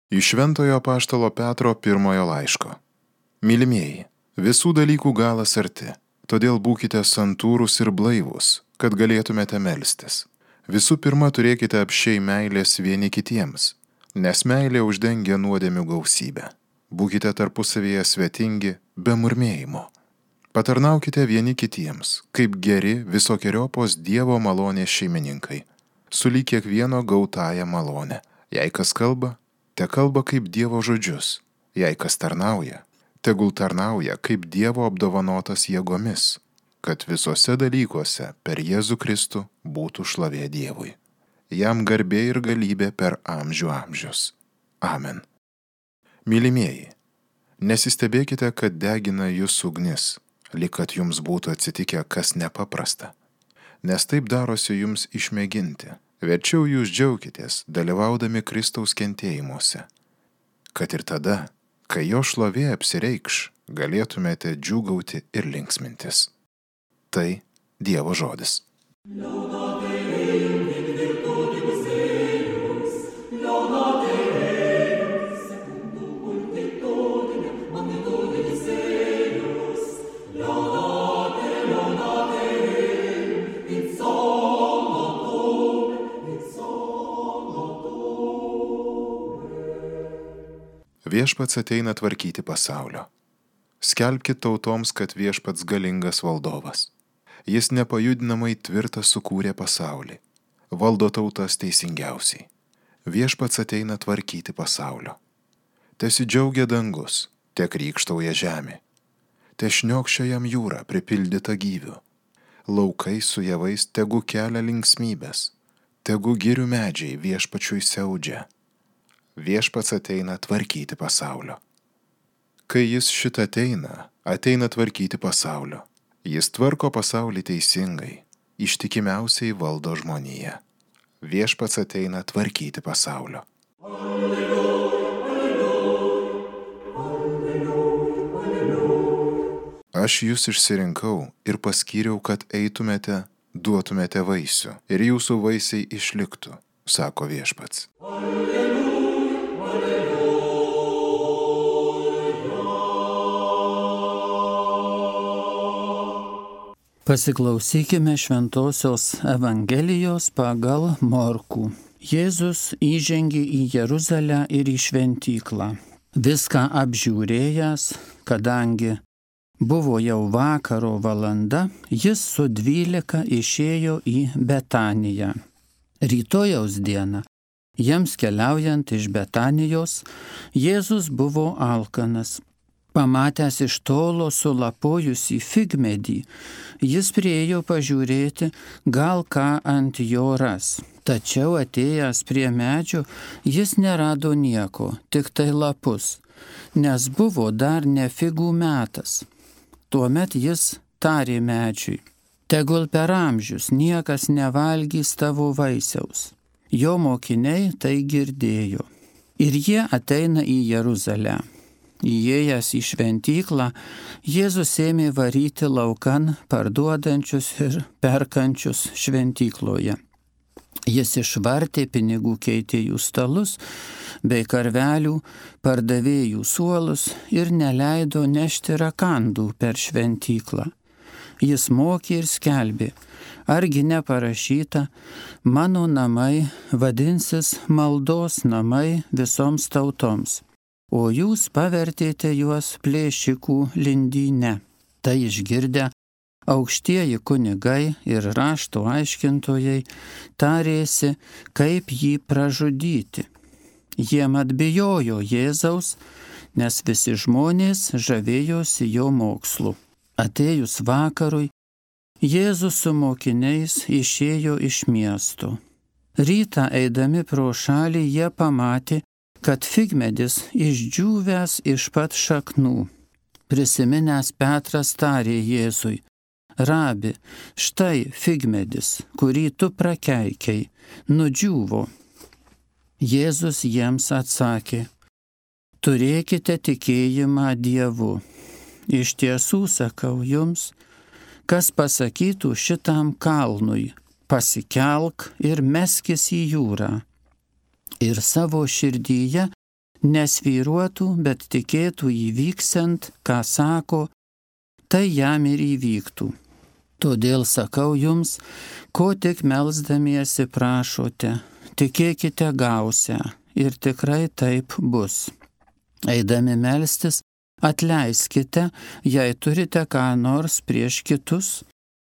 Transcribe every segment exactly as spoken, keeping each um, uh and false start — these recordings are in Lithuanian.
Iš Šventojo apaštalo Petro pirmojo laiško. Mylimieji, visų dalykų galas arti, todėl būkite santūrūs ir blaivūs, kad galėtumėte melstis. Visų pirma, turėkite apsčiai meilės vieni kitiems, nes meilė uždengia nuodėmių gausybę. Būkite tarpusavėje svetingi, be murmėjimo. Patarnaukite vieni kitiems, kaip geri visokiojopos Dievo malonės šeimininkai, sulyg kiekvieno gautąją malonę. Jei kas kalba, te kalba kaip Dievo žodžius, jei kas tarnauja, tegul tarnauja kaip Dievo apdovanotas jėgomis, kad visose dalykuose per Jėzų Kristų būtų šlovė Dievui. Jam garbė ir galybė per amžių amžius. Amen. Mylimieji, nesistebėkite, kad degina jūs ugnis, lyg kad jums būtų atsitikę kas nepaprasta, nes taip darosi jums išmėginti. Verčiau jūs džiaukitės, dalyvaudami Kristaus kentėjimuose, kad ir tada, kai jo šlovė apsireikš, galėtumėte džiūgauti ir linksmintis. Tai Dievo žodis. Viešpats ateina tvarkyti pasaulio. Skelbkit tautoms, kad viešpats galingas valdovas. Jis nepajudinamai tvirtas sukūrė pasaulį. Valdo tautas teisingiausiai. Viešpats ateina tvarkyti pasaulio. Tesidžiaugia dangus, te krykštauja žemė. Te šniokščia jam jūra pripildyta gyvių. Laukai su javais tegu kelia linksmybės. Tegu girių medžiai viešpačiui siaudžia. Viešpats ateina tvarkyti pasaulio. Kai jis šitą ateina, ateina tvarkyti pasaulio. Jis tvarko pasaulį teisingai, ištikimiausiai valdo žmoniją. Viešpats ateina tvarkyti pasaulio. Alleluja, alleluja, alleluja. Aš jūs išsirinkau ir paskyriau, kad eitumėte, duotumėte vaisių ir jūsų vaisiai išliktų, sako viešpats. Alleluja. Pasiklausykime Šventosios Evangelijos pagal Morkų. Jėzus įžengė į Jeruzalę ir į šventyklą. Viską apžiūrėjęs, kadangi buvo jau vakaro valanda, jis su dvylika išėjo į Betaniją. Rytojaus dieną, jiems keliaujant iš Betanijos, Jėzus buvo alkanas. Pamatęs iš tolo sulapojusį figmedį, jis priėjo pažiūrėti, gal ką ant jo ras. Tačiau atėjęs prie medžio, jis nerado nieko, tik tai lapus, nes buvo dar ne figų metas. Tuomet jis tarė medžiui, tegul per amžius niekas nevalgys tavo vaisiaus. Jo mokiniai tai girdėjo. Ir jie ateina į Jeruzalę. Įėjęs į šventyklą, Jėzus ėmė varyti laukan parduodančius ir perkančius šventykloje. Jis išvartė pinigų keitėjų stalus bei karvelių pardavėjų suolus ir neleido nešti rakandų per šventyklą. Jis mokė ir skelbė, argi neparašyta, mano namai vadinsis maldos namai visoms tautoms. O jūs pavertėte juos plėšikų lindyne. Tai išgirdę, aukštieji kunigai ir rašto aiškintojai tarėsi, kaip jį pražudyti. Jie mat bijojo Jėzaus, nes visi žmonės žavėjosi jo mokslu. Atėjus vakarui, Jėzus su mokiniais išėjo iš miesto. Rytą eidami pro šalį jie pamatė, kad figmedis išdžiūvęs iš pat šaknų. Prisiminęs Petras tarė Jėzui, Rabi, štai figmedis, kurį tu prakeikiai, nudžiūvo. Jėzus jiems atsakė, turėkite tikėjimą Dievu. Iš tiesų sakau jums, kas pasakytų šitam kalnui, pasikelk ir meskis į jūrą. Ir savo širdyje nesvyruotų, bet tikėtų įvyksiant, ką sako, tai jam ir įvyktų. Todėl sakau jums, ko tik melsdamiesi prašote, tikėkite gausią ir tikrai taip bus. Eidami melstis, atleiskite, jei turite ką nors prieš kitus,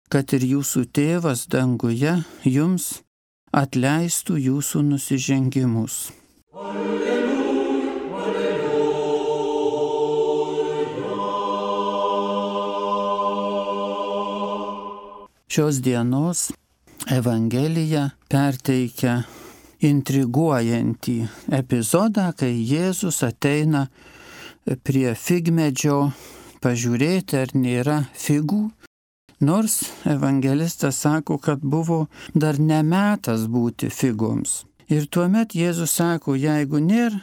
kad ir jūsų tėvas danguje jums atleistų jūsų nusižengimus. Šios dienos Evangelija perteikia intriguojantį epizodą, kai Jėzus ateina prie figmedžio pažiūrėti, ar nėra figų, nors evangelistas sako, kad buvo dar ne metas būti figoms. Ir tuomet Jėzus sako, jeigu nėra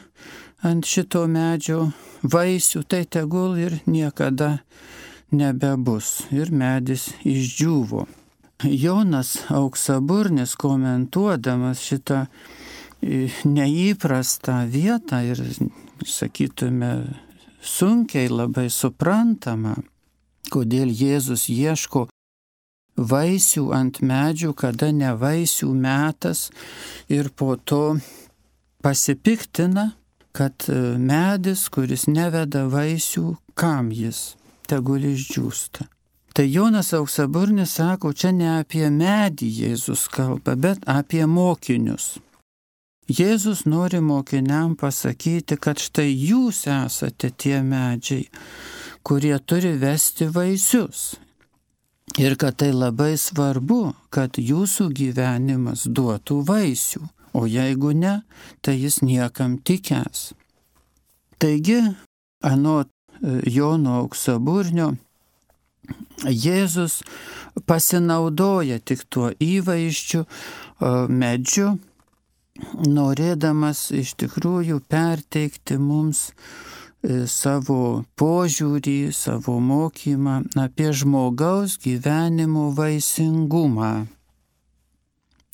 ant šito medžio vaisių, tai tegul ir niekada nebebus. Ir medis išdžiūvo. Jonas Auksaburnis, komentuodamas šitą neįprastą vietą ir, sakytume, sunkiai labai suprantama, kodėl Jėzus ieško vaisių ant medžių, kada ne vaisių metas, ir po to pasipiktina, kad medis, kuris neveda vaisių, kam jis, tegul išdžiūsta. Tai Jonas Auksaburnis sako, čia ne apie medį Jėzus kalba, bet apie mokinius. Jėzus nori mokiniam pasakyti, kad štai jūs esate tie medžiai, kurie turi vesti vaisius. Ir kad tai labai svarbu, kad jūsų gyvenimas duotų vaisių, o jeigu ne, tai jis niekam tikęs. Taigi, anot Jono Auksaburnio, Jėzus pasinaudoja tik tuo įvaizdžiu medžiu, norėdamas iš tikrųjų perteikti mums savo požiūrį, savo mokymą apie žmogaus gyvenimo vaisingumą.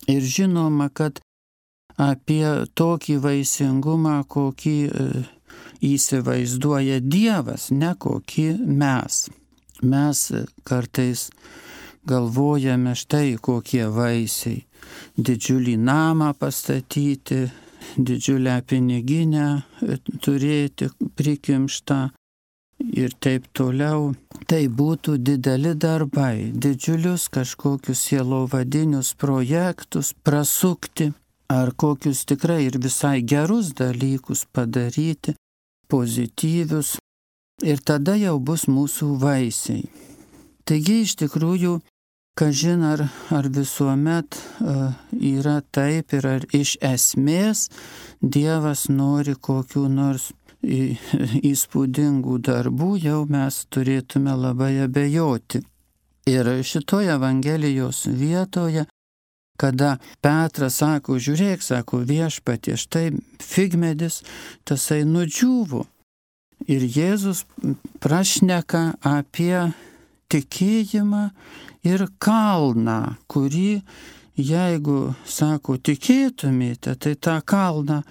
Ir žinoma, kad apie tokį vaisingumą, kokį įsivaizduoja Dievas, ne kokį mes. Mes kartais galvojame štai kokie vaisiai. Didžiulį namą pastatyti, didžiulę piniginę turėti prikimštą ir taip toliau. Tai būtų dideli darbai, didžiulius kažkokius sielovadinius projektus prasukti, ar kokius tikrai ir visai gerus dalykus padaryti, pozityvius. Ir tada jau bus mūsų vaisiai. Taigi iš tikrųjų, kažin ar, ar visuomet uh, yra taip ir ar iš esmės Dievas nori kokių nors į, įspūdingų darbų, jau mes turėtume labai abejoti. Ir šitoje Evangelijos vietoje, kada Petras sako, žiūrėk, sako, viešpatie, štai figmedis, tasai nudžiūvo. Ir Jėzus prašneka apie tikėjimą ir kalną, kurį, jeigu, sako, tikėtumėte, tai tą kalną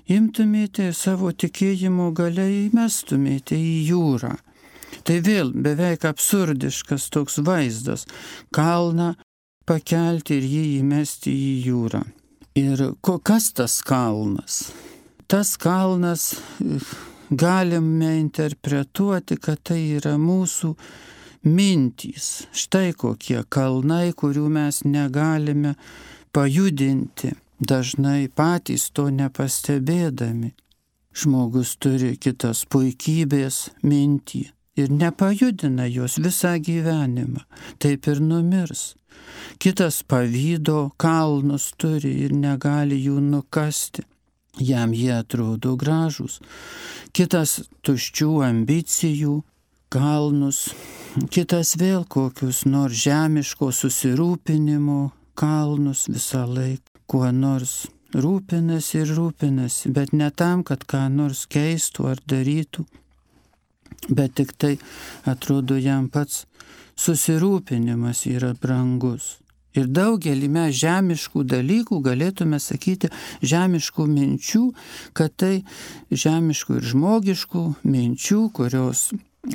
imtumėte ir savo tikėjimo galia įmestumėte į jūrą. Tai vėl beveik absurdiškas toks vaizdas. Kalną pakelti ir jį įmesti į jūrą. Ir kas tas kalnas? Tas kalnas galime interpretuoti, kad tai yra mūsų mintys. Štai kokie kalnai, kurių mes negalime pajudinti, dažnai patys to nepastebėdami. Žmogus turi kitas puikybės mintį ir nepajudina jos visą gyvenimą, taip ir numirs. Kitas pavydo kalnus turi ir negali jų nukasti. Jam jie atrodo gražus. Kitas tuščių ambicijų kalnus, kitas vėl kokius nors žemiško susirūpinimo kalnus, visą laiką kuo nors rūpinasi ir rūpinasi, bet ne tam, kad ką nors keistų ar darytų, bet tik tai atrodo jam pats susirūpinimas yra brangus. Ir daugelį mes žemiškų dalykų galėtume sakyti, žemiškų minčių, kad tai žemiškų ir žmogiškų minčių, kurios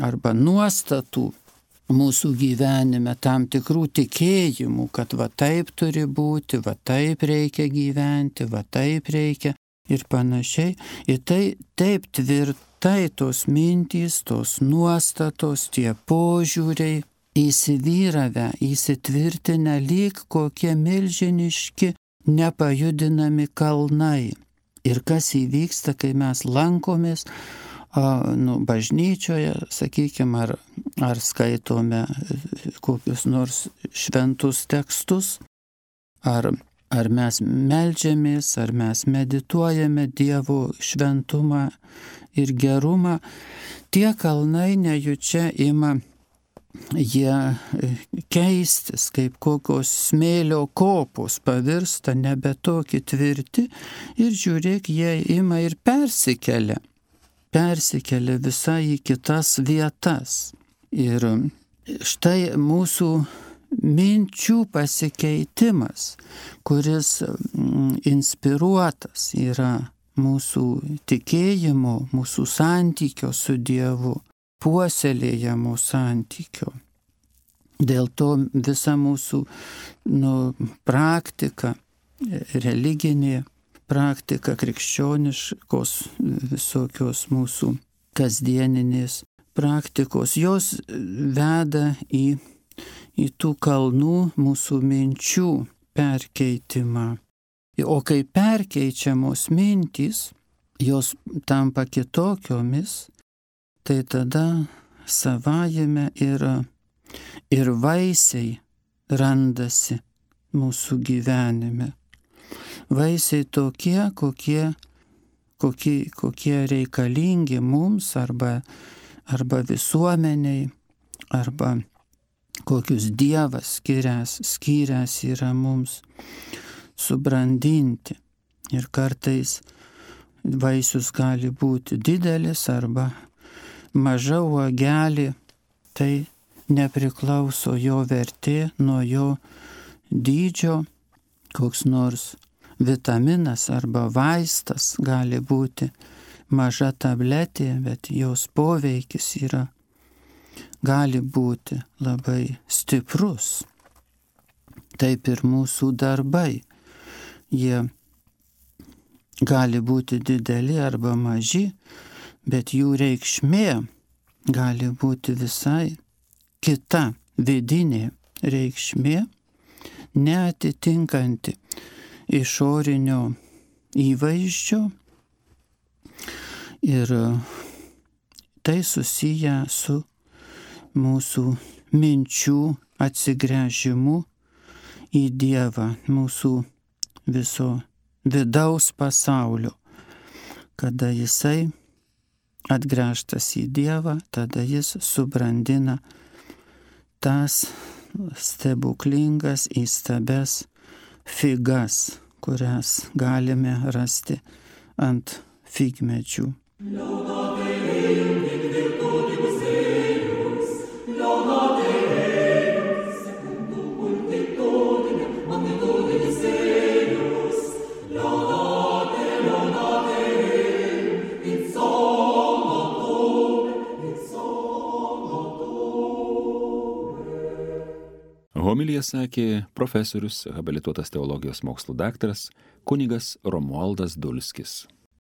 arba nuostatų mūsų gyvenime, tam tikrų tikėjimų, kad va taip turi būti, va taip reikia gyventi, va taip reikia ir panašiai. Ir tai taip tvirtai tos mintys, tos nuostatos, tie požiūriai, įsivyravę, įsitvirtinę lyg kokie milžiniški, nepajudinami kalnai. Ir kas įvyksta, kai mes lankomės a, nu, bažnyčioje, sakykime, ar, ar skaitome kokius nors šventus tekstus, ar, ar mes meldžiamės, ar mes medituojame Dievo šventumą ir gerumą, tie kalnai nejučia ima jie keistis, kaip kokios smėlio kopos pavirsta nebe tokie tvirti ir žiūrėk, jie ima ir persikelia, persikelia visai į kitas vietas. Ir štai mūsų minčių pasikeitimas, kuris inspiruotas yra mūsų tikėjimo, mūsų santykio su Dievu, puoselėjamo santykio. Dėl to visa mūsų nu, praktika, religinė praktika, krikščioniškos visokios mūsų kasdieninės praktikos, jos veda į, į tų kalnų mūsų minčių perkeitimą. O kai perkeičiamos mintys, jos tampa kitokiomis, tai tada savajame ir, ir vaisiai randasi mūsų gyvenime. Vaisiai tokie, kokie, kokie, kokie reikalingi mums arba, arba visuomeniai, arba kokius Dievas skyręs, skyręs yra mums subrandinti. Ir kartais vaisius gali būti didelis arba maža uogelė, tai nepriklauso jo vertė nuo jo dydžio. Koks nors vitaminas arba vaistas gali būti maža tabletė, bet jos poveikis yra, gali būti labai stiprus. Taip ir mūsų darbai. Jie gali būti dideli arba maži, bet jų reikšmė gali būti visai kita, vidinė reikšmė, neatitinkanti išorinio įvaizdžio. Ir tai susiję su mūsų minčių atsigręžimu į Dievą, mūsų viso vidaus pasaulio. Kada jisai atgręžtas į Dievą, tada jis subrandina tas stebuklingas įstabes figas, kurias galime rasti ant figmedžių. Homiliją sakė profesorius, habilituotas teologijos mokslų daktaras kunigas Romualdas Dulskis.